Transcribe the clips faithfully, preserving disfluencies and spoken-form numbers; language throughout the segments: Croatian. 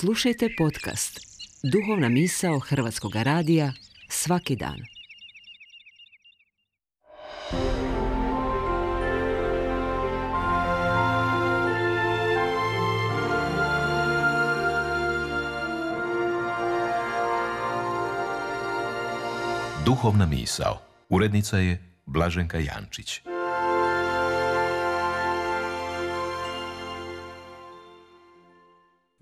Slušajte podcast Duhovna misao Hrvatskog radija svaki dan. Duhovna misao. Urednica je Blaženka Jančić.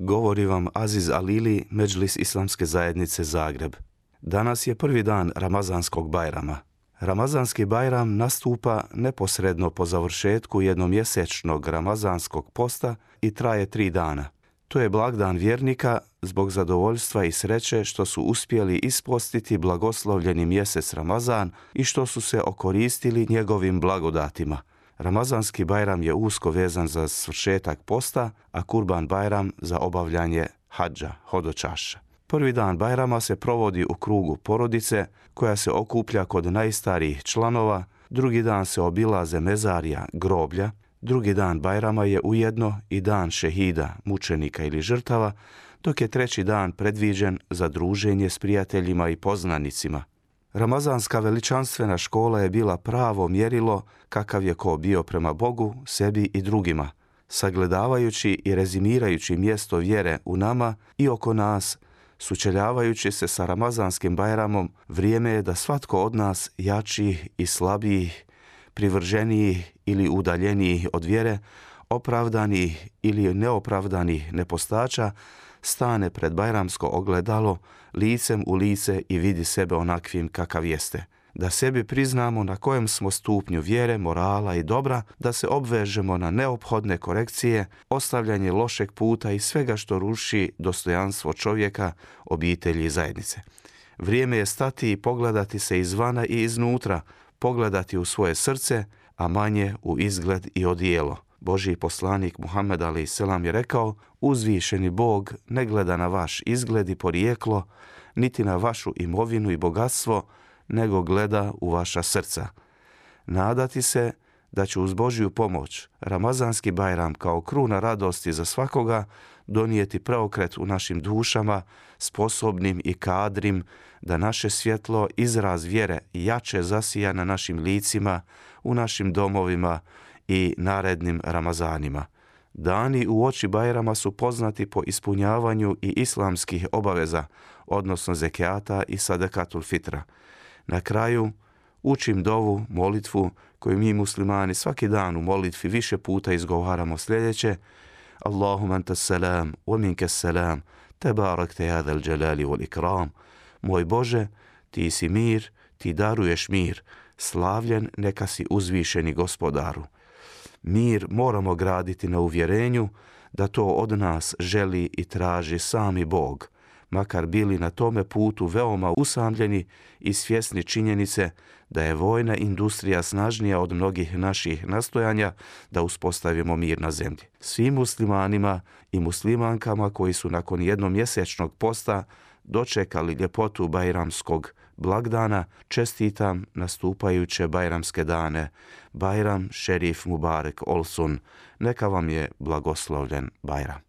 Govori vam Aziz Alili, Medžlis Islamske zajednice Zagreb. Danas je prvi dan Ramazanskog Bajrama. Ramazanski Bajram nastupa neposredno po završetku jednomjesečnog Ramazanskog posta i traje tri dana. To je blagdan vjernika zbog zadovoljstva i sreće što su uspjeli ispostiti blagoslovljeni mjesec Ramazan i što su se okoristili njegovim blagodatima. Ramazanski Bajram je usko vezan za svršetak posta, a Kurban Bajram za obavljanje hadža, hodočašća. Prvi dan Bajrama se provodi u krugu porodice koja se okuplja kod najstarijih članova, drugi dan se obilaze mezarija, groblja, drugi dan Bajrama je ujedno i dan šehida, mučenika ili žrtava, dok je treći dan predviđen za druženje s prijateljima i poznanicima. Ramazanska veličanstvena škola je bila pravo mjerilo kakav je ko bio prema Bogu, sebi i drugima. Sagledavajući i rezimirajući mjesto vjere u nama i oko nas, sučeljavajući se sa Ramazanskim Bajramom, vrijeme je da svatko od nas jačih i slabijih, privrženijih ili udaljenijih od vjere, opravdanih ili neopravdanih nepostača, stane pred bajramsko ogledalo, licem u lice i vidi sebe onakvim kakav jeste. Da sebi priznamo na kojem smo stupnju vjere, morala i dobra, da se obvežemo na neophodne korekcije, ostavljanje lošeg puta i svega što ruši dostojanstvo čovjeka, obitelji i zajednice. Vrijeme je stati i pogledati se izvana i iznutra, pogledati u svoje srce, a manje u izgled i odijelo. Božji poslanik Muhammed alejhi selam je rekao: uzvišeni Bog ne gleda na vaš izgled i porijeklo, niti na vašu imovinu i bogatstvo, nego gleda u vaša srca. Nadati se da će uz Božju pomoć Ramazanski Bajram kao kruna radosti za svakoga donijeti preokret u našim dušama, sposobnim i kadrim da naše svjetlo, izraz vjere jače zasija na našim licima, u našim domovima i narednim Ramazanima. Dani u oči Bajrama su poznati po ispunjavanju i islamskih obaveza, odnosno zekijata i sadakatul fitra. Na kraju učim dovu, molitvu koju mi muslimani svaki dan u molitvi više puta izgovaramo sljedeće: Allahumma antas salam, wa minkas salam, tebarakte ya zal jalali wal ikram. Moj Bože, ti si mir, ti daruješ mir, slavljen neka si uzvišeni gospodaru. Mir moramo graditi na uvjerenju da to od nas želi i traži sami Bog, makar bili na tome putu veoma usamljeni i svjesni činjenice da je vojna industrija snažnija od mnogih naših nastojanja da uspostavimo mir na zemlji. Svim muslimanima i muslimankama koji su nakon jednomjesečnog posta dočekali ljepotu bajramskog blagdana, čestitam nastupajuće bajramske dane. Bajram šerif mubarek olsun. Neka vam je blagoslovljen Bajram.